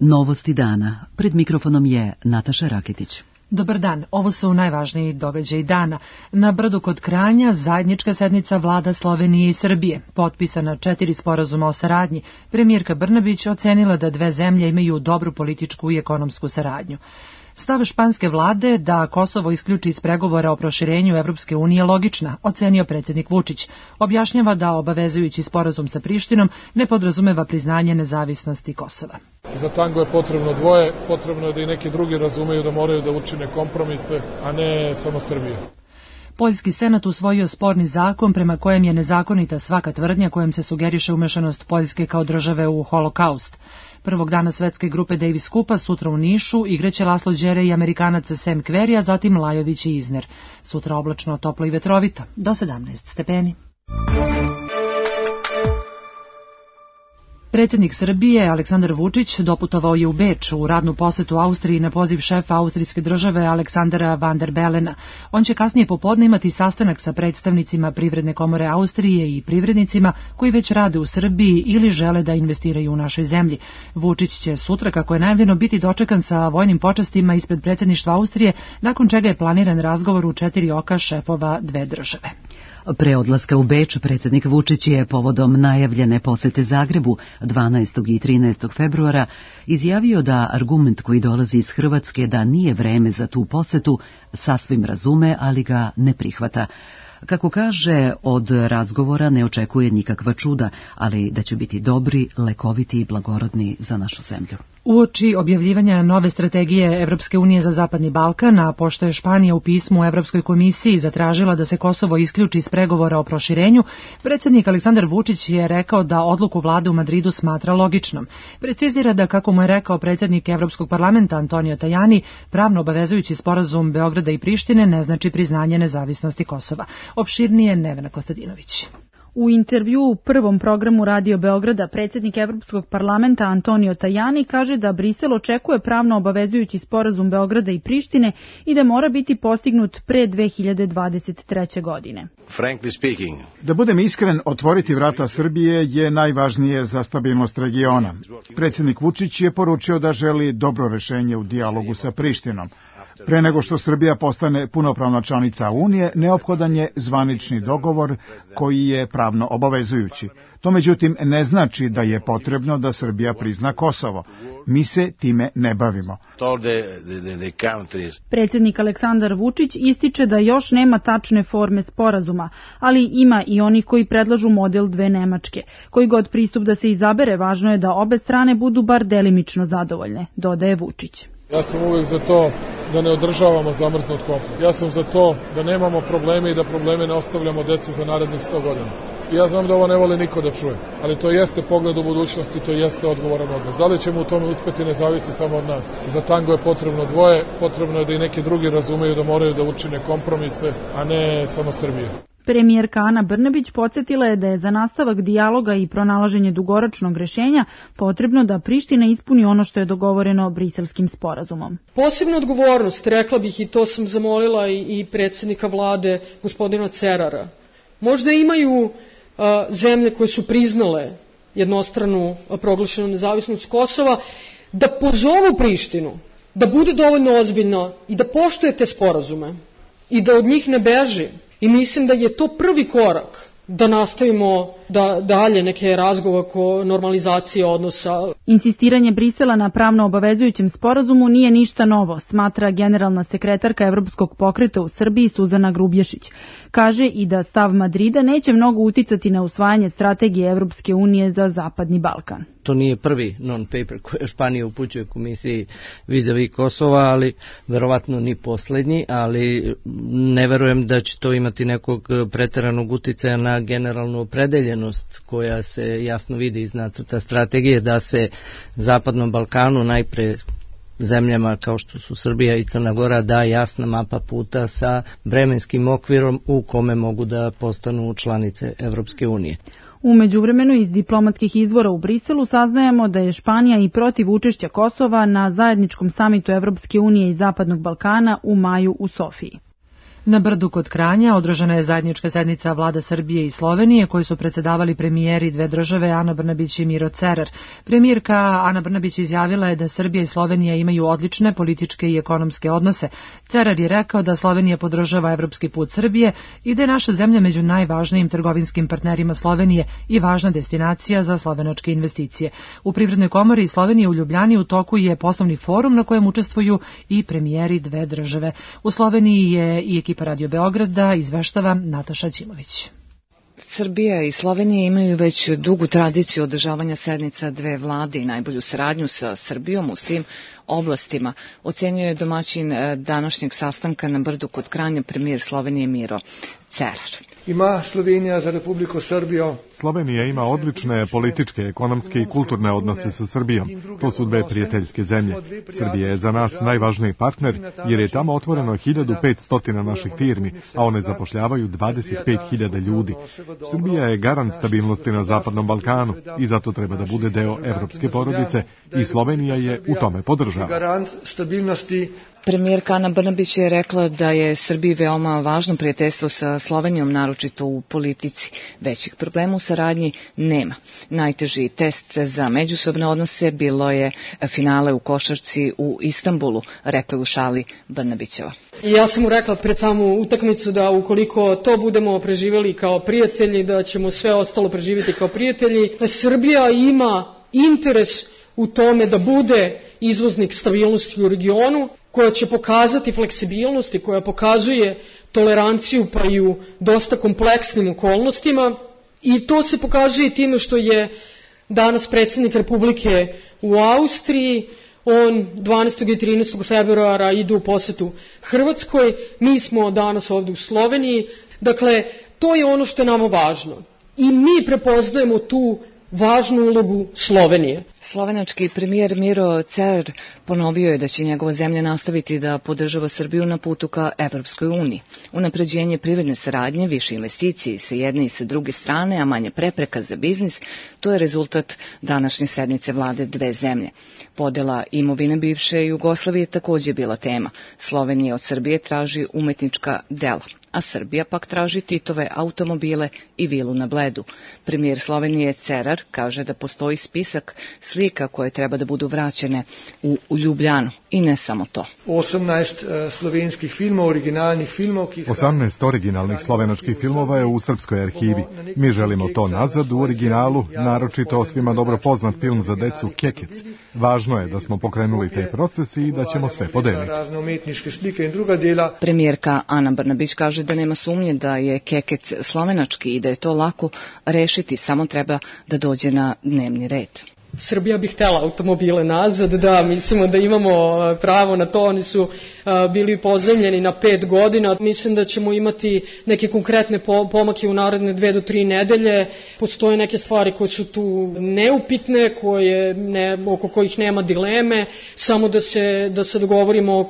Novosti dana. Pred mikrofonom je Nataša Raketić. Dobar dan, ovo su najvažniji događaji dana. Na Brdu kod Kranja zajednička sednica vlada Slovenije i Srbije. Potpisana 4 sporazuma o saradnji. Premijerka Brnabić ocenila da dve zemlje imaju dobru političku i ekonomsku saradnju. Stav španske vlade da Kosovo isključi iz pregovora o proširenju Evropske unije logična, ocenio predsjednik Vučić. Objašnjava da obavezujući sporazum sa Prištinom ne podrazumeva priznanje nezavisnosti Kosova. Za tango je potrebno dvoje, potrebno je da i neki drugi razumeju da moraju da učine kompromise, a ne samo Srbija. Poljski senat usvojio sporni zakon prema kojem je nezakonita svaka tvrdnja kojom se sugeriše umešanost Poljske kao države u holokaust. Prvog dana svetske grupe Davis Cupa sutra u Nišu igraće Laslo Đere i Amerikanac Sam Querrey, a zatim Lajović i Isner. Sutra oblačno, toplo i vetrovito, do 17 stepeni. Predsjednik Srbije Aleksandar Vučić doputovao je u Beč u radnu posetu Austriji na poziv šefa austrijske države Aleksandara van der Belena. On će kasnije popodne imati sastanak sa predstavnicima Privredne komore Austrije i privrednicima koji već rade u Srbiji ili žele da investiraju u našoj zemlji. Vučić će sutra, kako je najavljeno, biti dočekan sa vojnim počastima ispred predsjedništva Austrije, nakon čega je planiran razgovor u 4 oka šefova dve države. Pre odlaska u Beč, predsjednik Vučić je povodom najavljene posete Zagrebu 12. i 13. februara izjavio da argument koji dolazi iz Hrvatske da nije vreme za tu posetu sasvim razume, ali ga ne prihvata. Kako kaže, od razgovora ne očekuje nikakva čuda, ali da će biti dobri, lekoviti i blagorodni za našu zemlju. Uoči objavljivanja nove strategije Evropske unije za Zapadni Balkan, a pošto je Španija u pismu Evropskoj komisiji zatražila da se Kosovo isključi iz pregovora o proširenju, predsjednik Aleksandar Vučić je rekao da odluku vlade u Madridu smatra logičnom. Precizira da, kako mu je rekao predsjednik Evropskog parlamenta Antonio Tajani, pravno obavezujući sporazum Beograda i Prištine ne znači priznanje nezavisnosti Kosova. Opširnije Nevena Kostadinović. U intervju u prvom programu Radio Beograda predsjednik Evropskog parlamenta Antonio Tajani kaže da Brisel očekuje pravno obavezujući sporazum Beograda i Prištine i da mora biti postignut pre 2023. godine. Da budem iskren, otvoriti vrata Srbije je najvažnije za stabilnost regiona. Predsjednik Vučić je poručio da želi dobro rešenje u dijalogu sa Prištinom. Pre nego što Srbija postane punopravna članica Unije, neophodan je zvanični dogovor koji je pravno obavezujući. To međutim ne znači da je potrebno da Srbija prizna Kosovo. Mi se time ne bavimo. Predsjednik Aleksandar Vučić ističe da još nema tačne forme sporazuma, ali ima i onih koji predlažu model dve Nemačke. Koji god pristup da se izabere, važno je da obe strane budu bar delimično zadovoljne, dodaje Vučić. Ja sam uvijek za to da ne održavamo zamrznut konflikt. Ja sam za to da nemamo probleme i da probleme ne ostavljamo deci za narednih 100 godina. Ja znam da ovo ne voli niko da čuje, ali to jeste pogled u budućnosti, to jeste odgovoran odnos. Da li ćemo u tome uspjeti ne zavisi samo od nas. Za tango je potrebno dvoje, potrebno je da i neki drugi razumeju da moraju da učine kompromise, a ne samo Srbija. Premijerka Ana Brnabić podsjetila je da je za nastavak dijaloga i pronalaženje dugoročnog rešenja potrebno da Priština ispuni ono što je dogovoreno Briselskim sporazumom. Posebnu odgovornost, rekla bih, i to sam zamolila i predsjednika vlade, gospodina Cerara. Možda imaju zemlje koje su priznale jednostranu proglašenu nezavisnost Kosova, da pozovu Prištinu, da bude dovoljno ozbiljna i da poštuje te sporazume i da od njih ne beži. I mislim da je to prvi korak da nastavimo dalje neke razgovore oko normalizacije odnosa. Insistiranje Brisela na pravno obavezujućem sporazumu nije ništa novo, smatra generalna sekretarka Evropskog pokreta u Srbiji Suzana Grubješić. Kaže i da stav Madrida neće mnogo uticati na usvajanje strategije Evropske unije za Zapadni Balkan. To nije prvi non-paper koji Španija upućuje komisiji vis-a-vis Kosova, ali verovatno ni poslednji, ali ne verujem da će to imati nekog preteranog uticaja na generalnu opredeljenost koja se jasno vidi iz nacrta strategije da se Zapadnom Balkanu, najpre zemljama kao što su Srbija i Crna Gora, da jasna mapa puta sa vremenskim okvirom u kome mogu da postanu članice Evropske unije. U međuvremenu iz diplomatskih izvora u Briselu saznajemo da je Španija i protiv učešća Kosova na zajedničkom samitu Evropske unije i Zapadnog Balkana u maju u Sofiji. Na Brdu kod Kranja održana je zajednička sednica vlada Srbije i Slovenije koju su predsedavali premijeri dve države Ana Brnabić i Miro Cerar. Premijerka Ana Brnabić izjavila je da Srbija i Slovenija imaju odlične političke i ekonomske odnose. Cerar je rekao da Slovenija podržava evropski put Srbije i da je naša zemlja među najvažnijim trgovinskim partnerima Slovenije i važna destinacija za slovenačke investicije. U Privrednoj komori Slovenije u Ljubljani u toku je poslovni forum na kojem učestvuju i premijeri dve države. U Sloveniji je i ekipa Radio Beograda, izveštava Nataša Ćimović. Srbija i Slovenija imaju već dugu tradiciju održavanja sednica dve vlade i najbolju saradnju sa Srbijom u svim oblastima, ocenjuje domaćin današnjeg sastanka na Brdu kod Kranja premijer Slovenije Miro Cerar. Ima Slovenija za Republiku Srbijo. Slovenija ima odlične političke, ekonomske i kulturne odnose sa Srbijom. To su dve prijateljske zemlje. Srbija je za nas najvažniji partner jer je tamo otvoreno 1500 naših firmi, a one zapošljavaju 25.000 ljudi. Srbija je garant stabilnosti na Zapadnom Balkanu i zato treba da bude deo evropske porodice i Slovenija je u tome podržava. Garant stabilnosti. Premijerka Ana Brnabić je rekla da je Srbiji veoma važno prijateljstvo sa Slovenijom, naročito u politici. Većih problema u saradnji nema. Najteži test za međusobne odnose bilo je finale u košarci u Istanbulu, rekla u šali Brnabićeva. Ja sam mu rekla pred samu utakmicu da ukoliko to budemo preživjeli kao prijatelji, da ćemo sve ostalo preživjeti kao prijatelji. Srbija ima interes u tome da bude izvoznik stabilnosti u regionu, koja će pokazati fleksibilnost i koja pokazuje toleranciju pa i u dosta kompleksnim okolnostima. I to se pokazuje time što je danas predsjednik Republike u Austriji, on 12. i 13. februara ide u posetu Hrvatskoj, mi smo danas ovdje u Sloveniji, dakle to je ono što je nama važno i mi prepoznajemo tu važnu ulogu Slovenije. Slovenački premijer Miro Cerar ponovio je da će njegova zemlja nastaviti da podržava Srbiju na putu ka Evropskoj uniji. Unapređenje privredne saradnje, više investicije sa jedne i sa druge strane, a manje prepreka za biznis, to je rezultat današnje sednice vlade dve zemlje. Podela imovine bivše Jugoslavije također bila tema. Slovenija od Srbije traži umetnička dela, a Srbija pak traži Titove automobile i vilu na Bledu. Premijer Slovenije Cerar kaže da postoji spisak slika koje treba da budu vraćene u Ljubljanu i ne samo to. 18 slovenskih filmov, originalnih filmov. 18 originalnih slovenačkih filmova je u srpskoj arhivi. Mi želimo to nazad u originalu, naročito svima dobro poznat film za decu Kekec. Važno je da smo pokrenuli taj proces i da ćemo sve podeliti. Premijerka Ana Brnabić kaže da nema sumnje da je Kekec slovenački i da je to lako rešiti, samo treba da dođe na dnevni red. Srbija bi htjela automobile nazad, da, mislimo da imamo pravo na to, oni su bili pozajmljeni na 5 godina. Mislim da ćemo imati neke konkretne pomake u naredne 2 do 3 nedelje. Postoje neke stvari koje su tu neupitne, oko kojih nema dileme, samo da se dogovorimo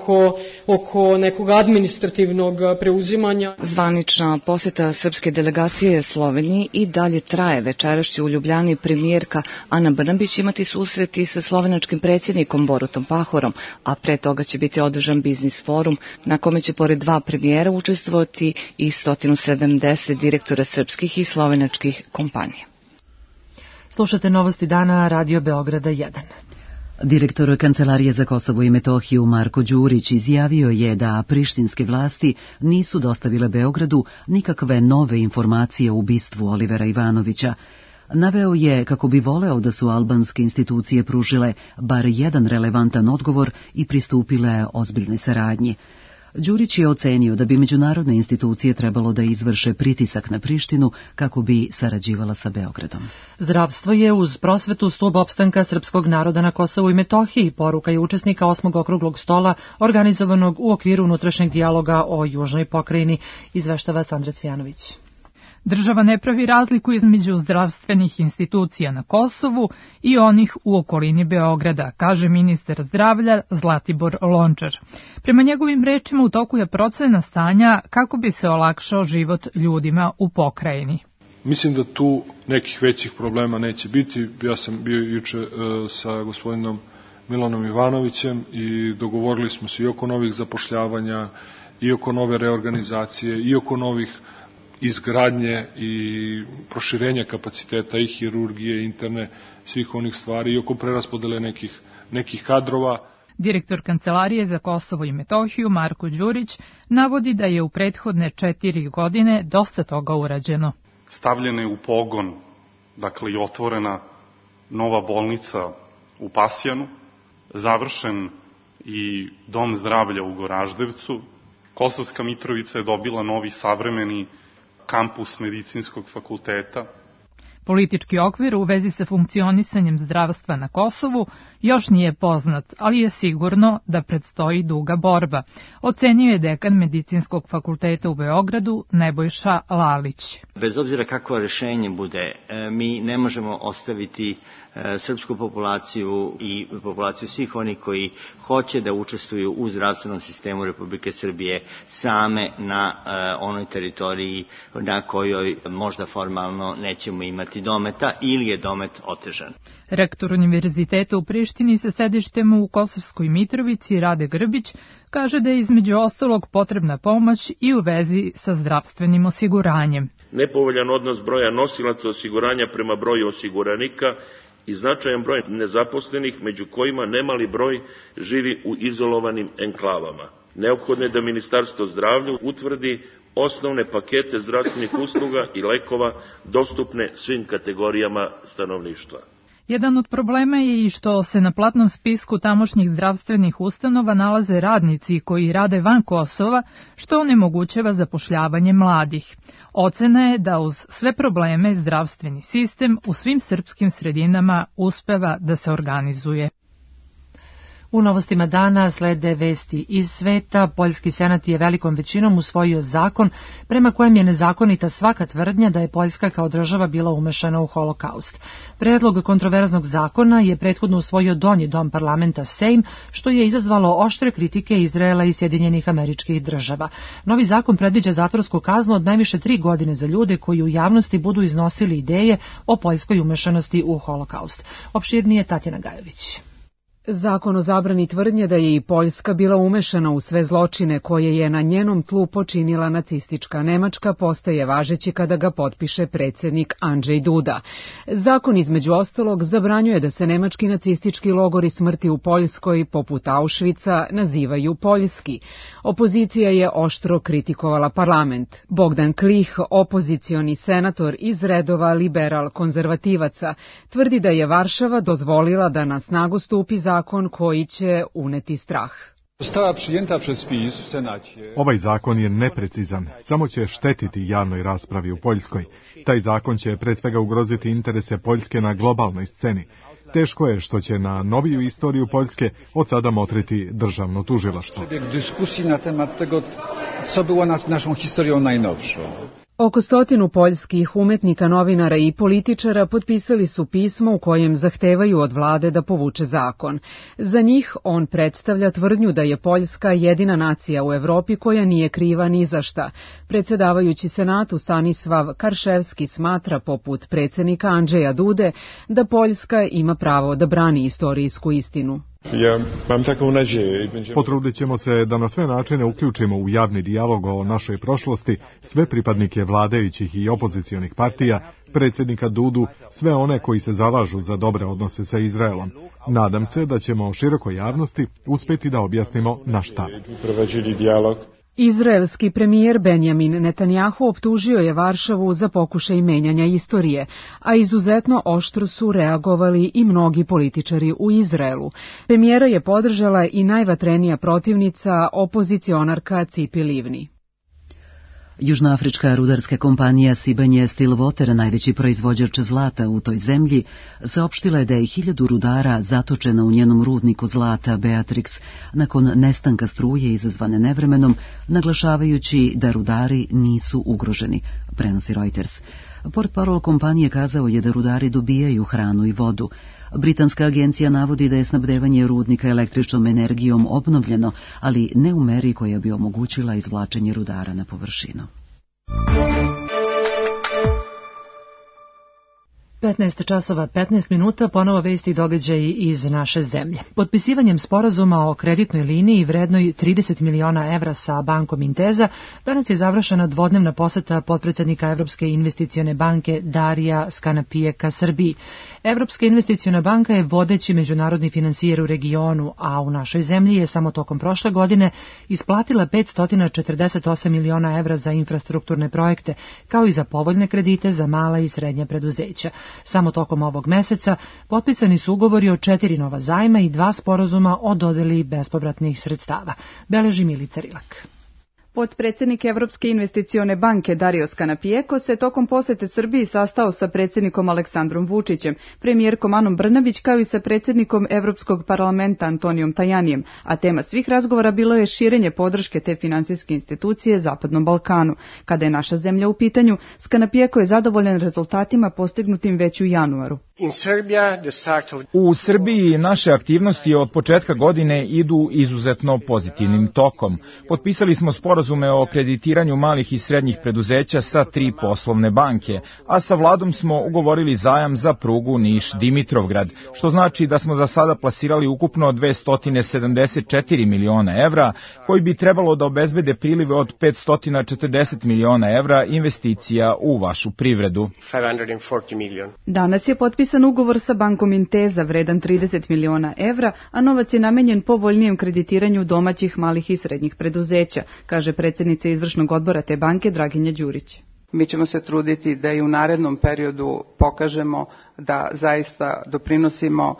oko nekog administrativnog preuzimanja. Zvanična poseta srpske delegacije Sloveniji i dalje traje. Večeras će u Ljubljani premijerka Ana Brnabić imati susreti sa slovenačkim predsjednikom Borutom Pahorom, a pre toga će biti održan biznis forum na kome će pored 2 premijera učestvovati i 170 direktora srpskih i slovenačkih kompanija. Slušate novosti dana Radio Beograda 1. Direktor Kancelarije za Kosovo i Metohiju Marko Đurić izjavio je da prištinske vlasti nisu dostavile Beogradu nikakve nove informacije o ubistvu Olivera Ivanovića. Naveo je kako bi voleo da su albanske institucije pružile bar jedan relevantan odgovor i pristupile ozbiljnoj saradnji. Đurić je ocenio da bi međunarodne institucije trebalo da izvrše pritisak na Prištinu kako bi sarađivala sa Beogradom. Zdravstvo je uz prosvetu stub opstanka srpskog naroda na Kosovu i Metohiji, poruka je učesnika 8. okruglog stola organizovanog u okviru unutrašnjeg dijaloga o južnoj pokrajini, izveštava Sandra Cvjanović. Država ne pravi razliku između zdravstvenih institucija na Kosovu i onih u okolini Beograda, kaže ministar zdravlja Zlatibor Lončar. Prema njegovim rečima u toku je procena stanja kako bi se olakšao život ljudima u pokrajini. Mislim da tu nekih većih problema neće biti. Ja sam bio juče sa gospodinom Milanom Ivanovićem i dogovorili smo se i oko novih zapošljavanja i oko nove reorganizacije, i oko novih izgradnje i proširenja kapaciteta i hirurgije, interne, svih onih stvari, i oko preraspodele nekih kadrova. Direktor Kancelarije za Kosovo i Metohiju Marko Đurić navodi da je u prethodne 4 godine dosta toga urađeno. Stavljena je u pogon, dakle i otvorena nova bolnica u Pasjanu, završen i dom zdravlja u Goraždevcu, Kosovska Mitrovica je dobila novi savremeni kampus medicinskog fakulteta. Politički okvir u vezi sa funkcionisanjem zdravstva na Kosovu još nije poznat, ali je sigurno da predstoji duga borba, ocenio je dekan Medicinskog fakulteta u Beogradu Nebojša Lalić. Bez obzira kakvo rešenje bude, mi ne možemo ostaviti srpsku populaciju i populaciju svih onih koji hoće da učestvuju u zdravstvenom sistemu Republike Srbije same na onoj teritoriji na kojoj možda formalno nećemo imati dometa ili je domet otežan. Rektor Univerziteta u Prištini sa sedištem u Kosovskoj Mitrovici Rade Grbić kaže da je između ostalog potrebna pomoć i u vezi sa zdravstvenim osiguranjem. Nepovoljan odnos broja nosilaca osiguranja prema broju osiguranika i značajan broj nezaposlenih, među kojima nemali broj živi u izolovanim enklavama. Neophodno je da Ministarstvo zdravlja utvrdi osnovne pakete zdravstvenih usluga i lekova dostupne svim kategorijama stanovništva. Jedan od problema je i što se na platnom spisku tamošnjih zdravstvenih ustanova nalaze radnici koji rade van Kosova, što onemogućava zapošljavanje mladih. Ocena je da uz sve probleme zdravstveni sistem u svim srpskim sredinama uspeva da se organizuje. U novostima dana slede vesti iz sveta. Poljski senat je velikom većinom usvojio zakon prema kojem je nezakonita svaka tvrdnja da je Poljska kao država bila umešana u holokaust. Predlog kontroverznog zakona je prethodno usvojio donji dom parlamenta Sejm, što je izazvalo oštre kritike Izraela i Sjedinjenih Američkih Država. Novi zakon predviđa zatvorsku kaznu od najviše 3 godine za ljude koji u javnosti budu iznosili ideje o poljskoj umešanosti u holokaust. Opširnije Tatjana Gajović. Zakon o zabrani tvrdnje da je i Poljska bila umešana u sve zločine koje je na njenom tlu počinila nacistička Nemačka postaje važeći kada ga potpiše predsjednik Andrzej Duda. Zakon između ostalog zabranjuje da se nemački nacistički logori smrti u Poljskoj poput Auschwitza nazivaju poljski. Opozicija je oštro kritikovala parlament. Bogdan Klih, opozicioni senator iz redova liberal-konzervativaca, tvrdi da je Varšava dozvolila da na snagu stupi zakon koji će uneti strah. Ovaj zakon je neprecizan, samo će štetiti javnoj raspravi u Poljskoj. Taj zakon će pre svega ugroziti interese Poljske na globalnoj sceni. Teško je što će na noviju istoriju Poljske od sada motriti državno tužilaštvo. Oko 100 poljskih umetnika, novinara i političara potpisali su pismo u kojem zahtevaju od vlade da povuče zakon. Za njih on predstavlja tvrdnju da je Poljska jedina nacija u Evropi koja nije kriva ni za šta. Predsjedavajući Senatu Stanislav Karševski smatra, poput predsjednika Andrzeja Dude, da Poljska ima pravo da brani istorijsku istinu. Potrudit ćemo se da na sve načine uključimo u javni dijalog o našoj prošlosti sve pripadnike vladajućih i opozicionih partija, predsjednika Dudu, sve one koji se zalažu za dobre odnose sa Izraelom. Nadam se da ćemo širokoj javnosti uspjeti da objasnimo naš stav. Izraelski premijer Benjamin Netanjahu optužio je Varšavu za pokušaj menjanja istorije, a izuzetno oštro su reagovali i mnogi političari u Izraelu. Premijera je podržala i najvatrenija protivnica, opozicionarka Tzipi Livni. Južnoafrička rudarska kompanija Sibanye Stillwater, najveći proizvođač zlata u toj zemlji, saopštila je da je 1000 rudara zatočeno u njenom rudniku zlata Beatrix nakon nestanka struje izazvane nevremenom, naglašavajući da rudari nisu ugroženi, prenosi Reuters. Portparol kompanije kazao je da rudari dobijaju hranu i vodu. Britanska agencija navodi da je snabdevanje rudnika električnom energijom obnovljeno, ali ne u meri koja bi omogućila izvlačenje rudara na površinu. 15 časova 15 minuta, ponovo vesti i događaji iz naše zemlje. Potpisivanjem sporazuma o kreditnoj liniji vrednoj 30 miliona evra sa bankom Intesa, danas je završena dvodnevna poseta potpredsednika Evropske investicione banke Darija Skanapijeka Srbiji. Evropska investiciona banka je vodeći međunarodni finansijer u regionu, a u našoj zemlji je samo tokom prošle godine isplatila 548 miliona evra za infrastrukturne projekte, kao i za povoljne kredite za mala i srednja preduzeća. Samo tokom ovog meseca potpisani su ugovori o 4 nova zajma i 2 sporazuma o dodeli bespovratnih sredstava, beleži Milica Rilak. Potpredsjednik Evropske investicione banke Dario Skanapijeko se tokom posete Srbiji sastao sa predsjednikom Aleksandrom Vučićem, premijerkom Anom Brnabić kao i sa predsjednikom Evropskog parlamenta Antonijom Tajanijem, a tema svih razgovora bilo je širenje podrške te finansijske institucije Zapadnom Balkanu. Kada je naša zemlja u pitanju, Skanapijeko je zadovoljan rezultatima postignutim već u januaru. U Srbiji naše aktivnosti od početka godine idu izuzetno pozitivnim tokom. Potpisali smo sporazume o kreditiranju malih i srednjih preduzeća sa 3 poslovne banke, a sa vladom smo ugovorili zajam za prugu Niš-Dimitrovgrad, što znači da smo za sada plasirali ukupno 274 miliona evra, koji bi trebalo da obezbede prilive od 540 miliona evra investicija u vašu privredu. Danas je potpisan ugovor sa bankom Intesa vredan 30 miliona evra, a novac je namenjen povoljnijem kreditiranju domaćih malih i srednjih preduzeća, kaže predsjednica izvršnog odbora te banke Draginja Đurić. Mi ćemo se truditi da i u narednom periodu pokažemo da zaista doprinosimo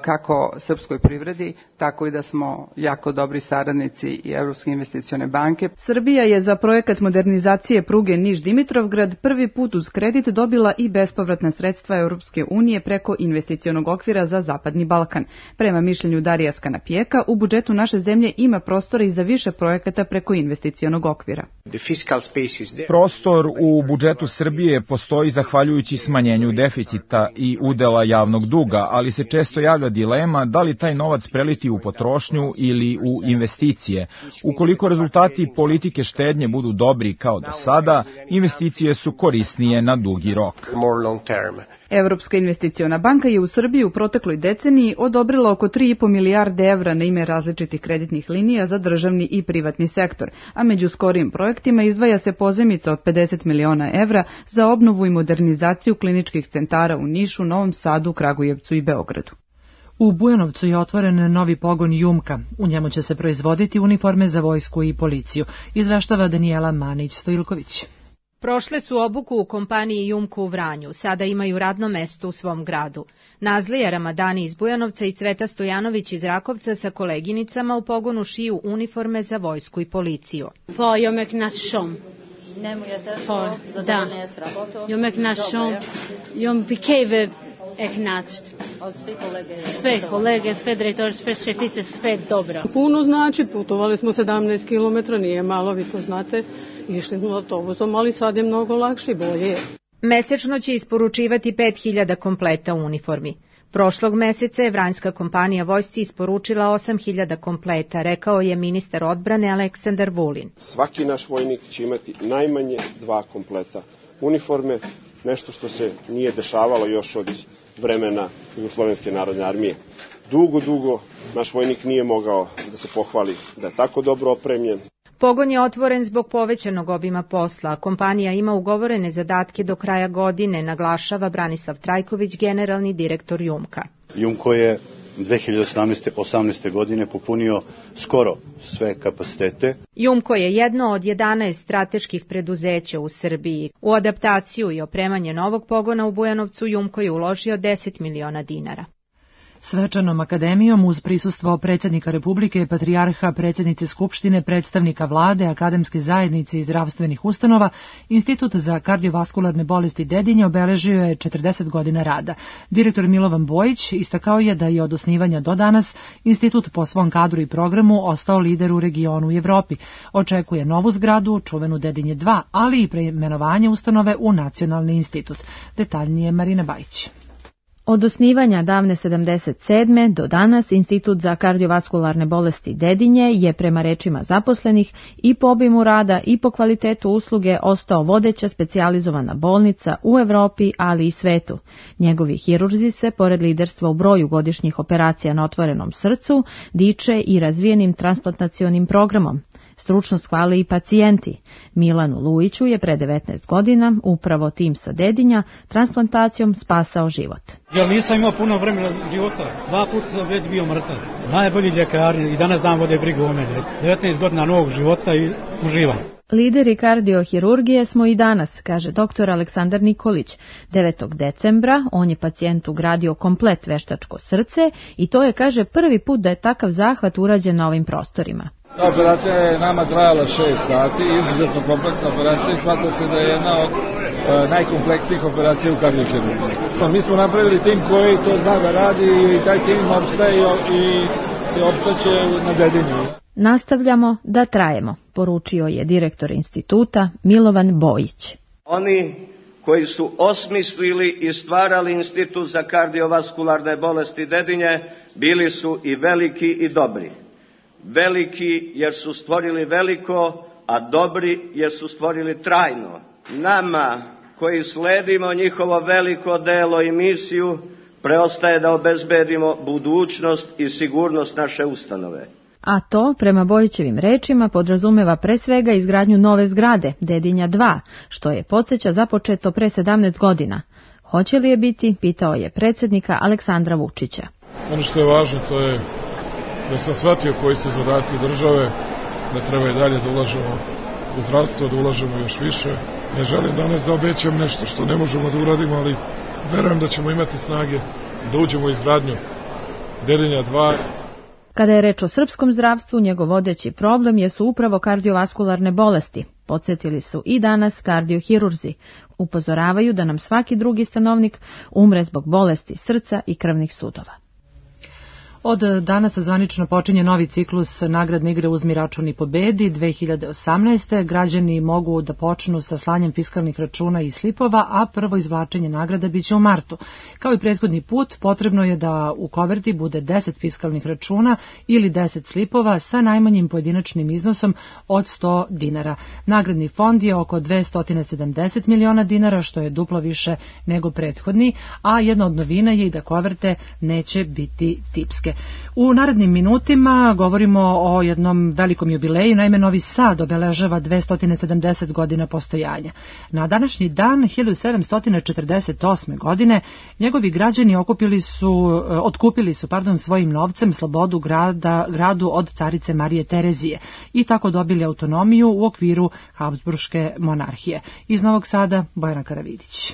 kako srpskoj privredi, tako i da smo jako dobri saradnici i Evropske investicione banke. Srbija je za projekat modernizacije pruge Niš-Dimitrovgrad prvi put uz kredit dobila i bespovratna sredstva Europske unije preko investicionog okvira za Zapadni Balkan. Prema mišljenju Darija Skanapijeka, u budžetu naše zemlje ima prostora i za više projekata preko investicionog okvira. Prostor u budžetu Srbije postoji zahvaljujući smanjenju deficita i udela javnog duga, ali se često javlja dilema da li taj novac preliti u potrošnju ili u investicije. Ukoliko rezultati politike štednje budu dobri kao do sada, investicije su korisnije na dugi rok. Evropska investiciona banka je u Srbiji u protekloj deceniji odobrila oko 3,5 milijarde evra na ime različitih kreditnih linija za državni i privatni sektor, a među skorijim projektima izdvaja se pozajmica od 50 miliona evra za obnovu i modernizaciju kliničkih centara u Nišu, Novom Sadu, Kragujevcu i Beogradu. U Bujanovcu je otvoren novi pogon Jumka. U njemu će se proizvoditi uniforme za vojsku i policiju, izveštava Danijela Manić-Stojilković. Prošle su obuku u kompaniji Jumko u Vranju, sada imaju radno mesto u svom gradu. Nazlija Ramadani iz Bujanovca i Cveta Stojanović iz Rakovca sa koleginicama u pogonu šiju uniforme za vojsku i policiju. Sve kolege, sve direktori, sve šefice, sve dobro. Puno znači, putovali smo 17 km, nije malo, vi to znate, išli smo autobusom, ali sad je mnogo lakše i bolje. Mesečno će isporučivati 5000 kompleta uniformi. Prošlog meseca je vranjska kompanija vojsci isporučila 8000 kompleta, rekao je ministar odbrane Aleksandar Vulin. Svaki naš vojnik će imati najmanje 2 kompleta uniforme, nešto što se nije dešavalo još od vremena Jugoslovenske narodne armije. Dugo naš vojnik nije mogao da se pohvali da je tako dobro opremljen. Pogon je otvoren zbog povećanog obima posla. Kompanija ima ugovorene zadatke do kraja godine, naglašava Branislav Trajković, generalni direktor Jumka. Jumko je 2018. godine popunio skoro sve kapacitete. Jumko je jedno od 11 strateških preduzeća u Srbiji. U adaptaciju i opremanje novog pogona u Bujanovcu Jumko je uložio 10 miliona dinara. Svečanom akademijom uz prisustvo predsjednika Republike, patrijarha, predsjednice Skupštine, predstavnika vlade, akademske zajednice i zdravstvenih ustanova, Institut za kardiovaskularne bolesti Dedinje obeležio je 40 godina rada. Direktor Milovan Bojić istakao je da je od osnivanja do danas institut po svom kadru i programu ostao lider u regionu i Evropi. Očekuje novu zgradu, čuvenu Dedinje 2, ali i preimenovanje ustanove u Nacionalni institut. Detaljnije Marina Bajić. Od osnivanja davne 77. do danas Institut za kardiovaskularne bolesti Dedinje je prema rečima zaposlenih i po obimu rada i po kvalitetu usluge ostao vodeća specijalizovana bolnica u Evropi, ali i svetu. Njegovi hirurzi se, pored liderstva u broju godišnjih operacija na otvorenom srcu, diče i razvijenim transplantacionim programom. Stručnost hvale i pacijenti. Milanu Lujiću je pre 19 godina upravo tim sa Dedinja transplantacijom spasao život. Ja nisam imao puno vremena života, 2 puta sam već bio mrtav. Najbolji ljekari i danas dan vode brigu o mene. 19 godina novog života i uživam. Lideri kardiohirurgije smo i danas, kaže dr. Aleksandar Nikolić. 9. decembra on je pacijentu ugradio komplet veštačko srce i to je, kaže, prvi put da je takav zahvat urađen na ovim prostorima. Ta operacija je nama trajala 6 sati, izuzetno kompleksna operacija i smatra se da je jedna od najkompleksnijih operacija u kardiohirurgiji. Mi smo napravili tim koji to zna da radi i taj tim opstaje i opstaće na Dedinju. Nastavljamo da trajemo, poručio je direktor instituta Milovan Bojić. Oni koji su osmislili i stvarali Institut za kardiovaskularne bolesti Dedinje bili su i veliki i dobri. Veliki jer su stvorili veliko, a dobri jer su stvorili trajno. Nama koji sledimo njihovo veliko delo i misiju, preostaje da obezbedimo budućnost i sigurnost naše ustanove. A to, prema Bojićevim rečima, podrazumeva pre svega izgradnju nove zgrade, Dedinja 2, što je, podsjeća, započeto pre 17 godina. Hoće li je biti, pitao je predsjednika Aleksandra Vučića. Ono što je važno, to je da sam shvatio koji su zadaci države, da treba i dalje da ulažemo u zdravstvo, da ulažemo još više. Ne želim danas da obećam nešto što ne možemo da uradimo, ali verujem da ćemo imati snage da uđemo u izgradnju Dedinja 2. Kada je reč o srpskom zdravstvu, njegov vodeći problem jesu upravo kardiovaskularne bolesti. Podsjetili su i danas kardiohirurzi. Upozoravaju da nam svaki drugi stanovnik umre zbog bolesti srca i krvnih sudova. Od danas zvanično počinje novi ciklus nagradne igre Uzmi račun i pobedi 2018. Građani mogu da počnu sa slanjem fiskalnih računa i slipova, a prvo izvlačenje nagrada biće u martu. Kao i prethodni put, potrebno je da u koverti bude 10 fiskalnih računa ili 10 slipova sa najmanjim pojedinačnim iznosom od 100 dinara. Nagradni fond je oko 270 miliona dinara, što je duplo više nego prethodni, a jedna od novina je i da koverte neće biti tipske. U narednim minutima govorimo o jednom velikom jubileju, naime Novi Sad obeležava 270 godina postojanja. Na današnji dan 1748. godine njegovi građani otkupili su svojim novcem slobodu gradu od carice Marije Terezije i tako dobili autonomiju u okviru Habsburške monarhije. Iz Novog Sada Bojana Karavidić.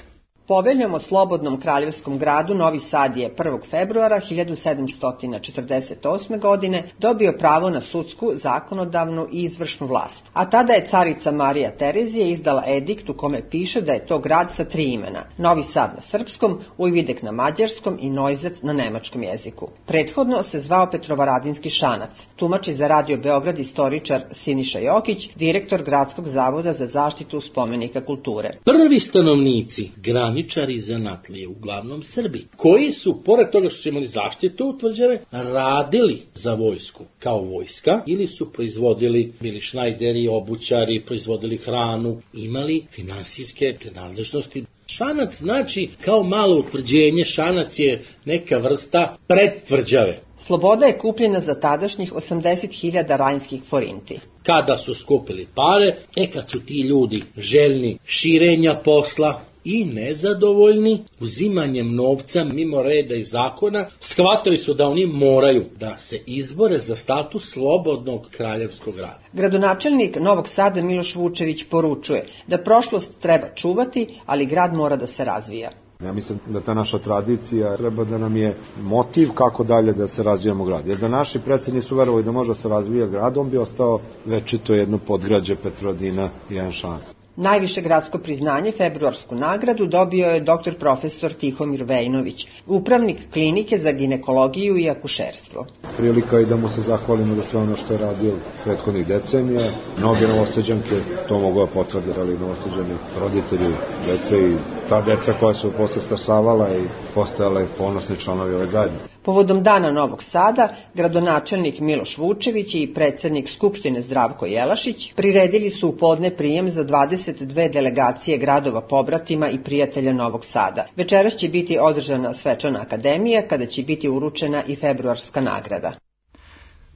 Poveljom o slobodnom kraljevskom gradu Novi Sad je 1. februara 1748. godine dobio pravo na sudsku, zakonodavnu i izvršnu vlast. A tada je carica Marija Terezija izdala edikt u kome piše da je to grad sa 3 imena. Novi Sad na srpskom, Ujvidek na mađarskom i Neustadt na nemačkom jeziku. Prethodno se zvao Petrovaradinski Šanac. Tumači za Radio Beograd istoričar Siniša Jokić, direktor Gradskog zavoda za zaštitu spomenika kulture. Prvi stanovnici graničari zanatlije, uglavnom Srbi, koji su, pored toga što su imali zaštitu tvrđave, radili za vojsku kao vojska ili su proizvodili, bili šnajderi, obućari, proizvodili hranu, imali finansijske nadležnosti. Šanac znači kao malo utvrđenje, Šanac je neka vrsta predtvrđave. Sloboda je kupljena za tadašnjih 80.000 rajnskih forinti. Kada su skupili pare, kad su ti ljudi željni širenja posla i nezadovoljni uzimanjem novca mimo reda i zakona, shvatili su da oni moraju da se izbore za status slobodnog kraljevskog grada. Gradonačelnik Novog Sada Miloš Vučević poručuje da prošlost treba čuvati, ali grad mora da se razvija. Ja mislim da ta naša tradicija treba da nam je motiv kako dalje da se razvijamo grad. Jer da naši preci nisu verovali da može da se razvija grad, on bi ostao večito jedno podgrađe Petrovaradina i jedan Šanac. Najviše gradsko priznanje, februarsku nagradu, dobio je dr. profesor Tihomir Vejnović, upravnik klinike za ginekologiju i akušerstvo. Prilika i da mu se zahvalimo za sve ono što je radio prethodnih decenija. Mnoge Novosađanke to mogu da potvrde, ali Novosađani roditelji dece i ta deca koja su posle stasavala i postajale ponosni članovi ove zajednice. Povodom Dana Novog Sada, gradonačelnik Miloš Vučević i predsednik Skupštine Zdravko Jelašić priredili su u podne prijem za 22 delegacije gradova pobratima i prijatelja Novog Sada. Večeras će biti održana svečana akademija, kada će biti uručena i februarska nagrada.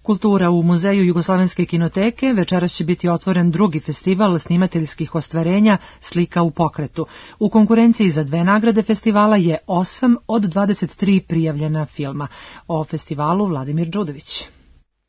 Kultura u Muzeju Jugoslovenske kinoteke. Večeras će biti otvoren drugi festival snimateljskih ostvarenja Slika u pokretu. U konkurenciji za 2 nagrade festivala je 8 od 23 prijavljena filma. O festivalu Vladimir Đudović.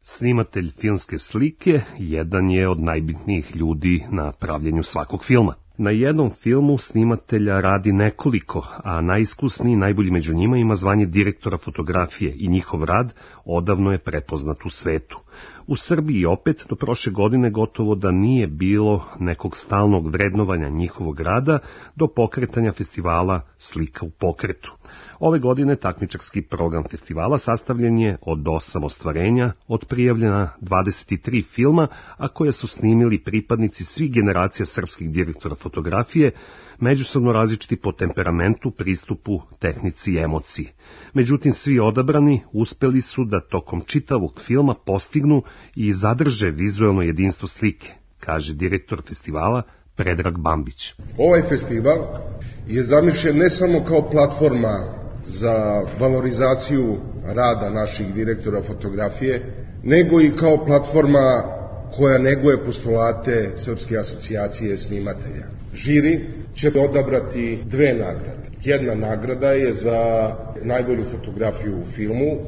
Snimatelj filmske slike jedan je od najbitnijih ljudi na pravljenju svakog filma. Na jednom filmu snimatelja radi nekoliko, a najiskusniji, najbolji među njima ima zvanje direktora fotografije i njihov rad odavno je prepoznat u svetu. U Srbiji opet do prošle godine gotovo da nije bilo nekog stalnog vrednovanja njihovog rada do pokretanja festivala Slika u pokretu. Ove godine takmičarski program festivala sastavljen je od 8 ostvarenja, od prijavljena 23 filma, a koje su snimili pripadnici svih generacija srpskih direktora fotografije, međusobno različiti po temperamentu, pristupu, tehnici i emociji. Međutim, svi odabrani uspeli su da tokom čitavog filma postignu i zadrže vizuelno jedinstvo slike, kaže direktor festivala Predrag Bambić. Ovaj festival je zamišljen ne samo kao platforma za valorizaciju rada naših direktora fotografije, nego i kao platforma koja neguje postulate Srpske asocijacije snimatelja. Žiri će odabrati 2 nagrade. Jedna nagrada je za najbolju fotografiju u filmu,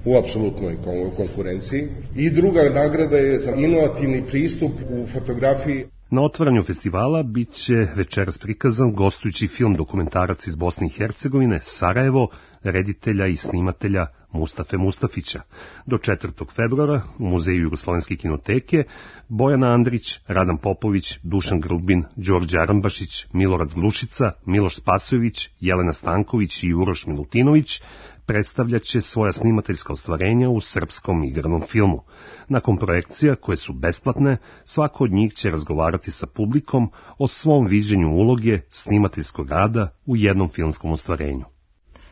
u apsolutnoj konkurenciji, i druga nagrada je za inovativni pristup u fotografiji. Na otvaranju festivala bit će večeras prikazan gostujući film dokumentarac iz Bosne i Hercegovine, Sarajevo, reditelja i snimatelja Mustafe Mustafića. Do 4. februara u Muzeju Jugoslovenske kinoteke Bojana Andrić, Radan Popović, Dušan Grubin, Đorđe Arambašić, Milorad Glušica, Miloš Spasojević, Jelena Stanković i Uroš Milutinović predstavljaće svoja snimateljska ostvarenja u srpskom igranom filmu. Nakon projekcija, koje su besplatne, svako od njih će razgovarati sa publikom o svom viđenju uloge snimateljskog rada u jednom filmskom ostvarenju.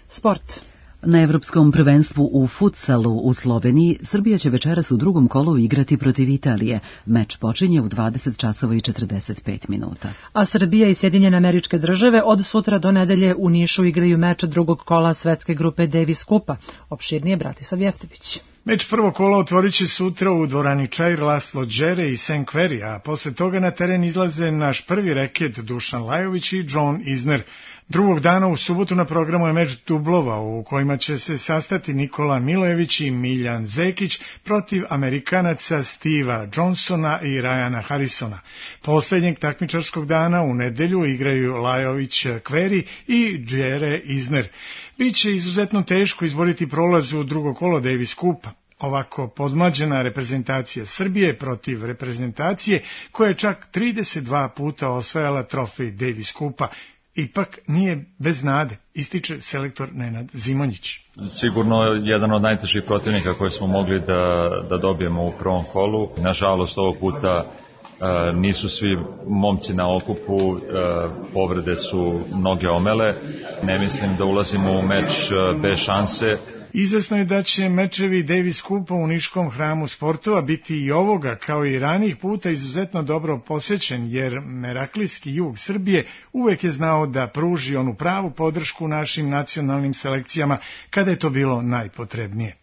Sport. Na Evropskom prvenstvu u futsalu u Sloveniji Srbija će večeras u drugom kolu igrati protiv Italije. Meč počinje u 20 časova i 45 minuta. A Srbija i Sjedinjene Američke Države od sutra do nedelje u Nišu igraju meč drugog kola svetske grupe Davis Kupa. Opširnije Bratislav Jeftović. Meč prvo kola otvorit će sutra u dvorani Čair Laslo Đere i St. Query, a posle toga na teren izlaze naš prvi reket Dušan Lajović i John Isner. Drugog dana u subotu na programu je meč dublova u kojima će se sastati Nikola Milojević i Miljan Zekić protiv Amerikanaca Steva Johnsona i Ryana Harrisona. Poslednjeg takmičarskog dana u nedelju igraju Lajović Query i Đere Isner. Biće izuzetno teško izboriti prolaz u drugo kolo Davis Kupa. Ovako podmlađena reprezentacija Srbije protiv reprezentacije koja je čak 32 puta osvajala trofej Davis Kupa. Ipak nije bez nade, ističe selektor Nenad Zimonjić. Sigurno jedan od najtežih protivnika koje smo mogli da dobijemo u prvom kolu. Nažalost, ovog puta nisu svi momci na okupu, povrede su mnoge omele. Ne mislim da ulazimo u meč bez šanse. Izvesno je da će mečevi Davis Kupa u Niškom hramu sportova biti i ovoga, kao i ranijih puta, izuzetno dobro posećen, jer meraklijski jug Srbije uvek je znao da pruži onu pravu podršku našim nacionalnim selekcijama kada je to bilo najpotrebnije.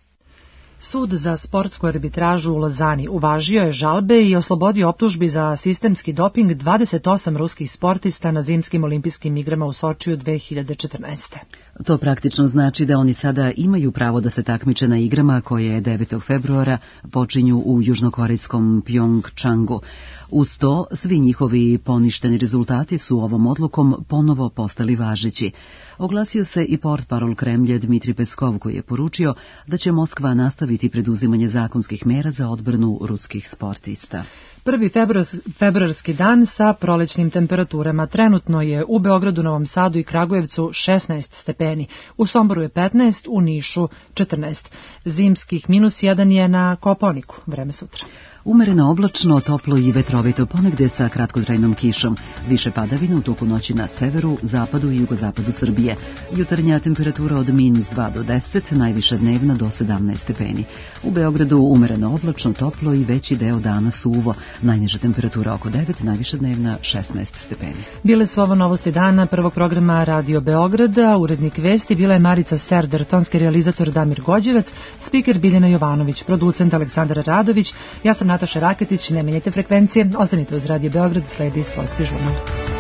Sud za sportsku arbitražu u Lozani uvažio je žalbe i oslobodio optužbi za sistemski doping 28 ruskih sportista na zimskim olimpijskim igrama u Sočiju 2014. To praktično znači da oni sada imaju pravo da se takmiče na igrama koje 9. februara počinju u južnokorejskom Pjongčangu. Uz to, svi njihovi poništeni rezultati su ovom odlukom ponovo postali važeći. Oglasio se i portparol Kremlja Dmitri Peskov, koji je poručio da će Moskva nastaviti preduzimanje zakonskih mera za odbranu ruskih sportista. Prvi februarski dan sa prolećnim temperaturama. Trenutno je u Beogradu, Novom Sadu i Kragujevcu 16 stepeni, u Somboru je 15, u Nišu 14. Zimskih -1 je na Kopaoniku. Vreme sutra. Umereno oblačno, toplo i vetrovito, ponegde sa kratkotrajnom kišom. Više padavina u toku noći na severu, zapadu i jugozapadu Srbije. Jutarnja temperatura od -2 do 10, najviša dnevna do 17 stepeni. U Beogradu umereno oblačno, toplo i veći deo dana suvo. Najniža temperatura oko 9, najviša dnevna 16 stepeni. Bile su ovo novosti dana prvog programa Radio Beograda. Urednik vesti bila je Marica Serder, tonski realizator Damir Gođevac, spiker Biljana Jovanović, producent Aleksandar Radović. Ja sam Nataša Raketić, ne menjajte frekvencije, ostanite uz Radio Beograd, sledi sportski žurnal.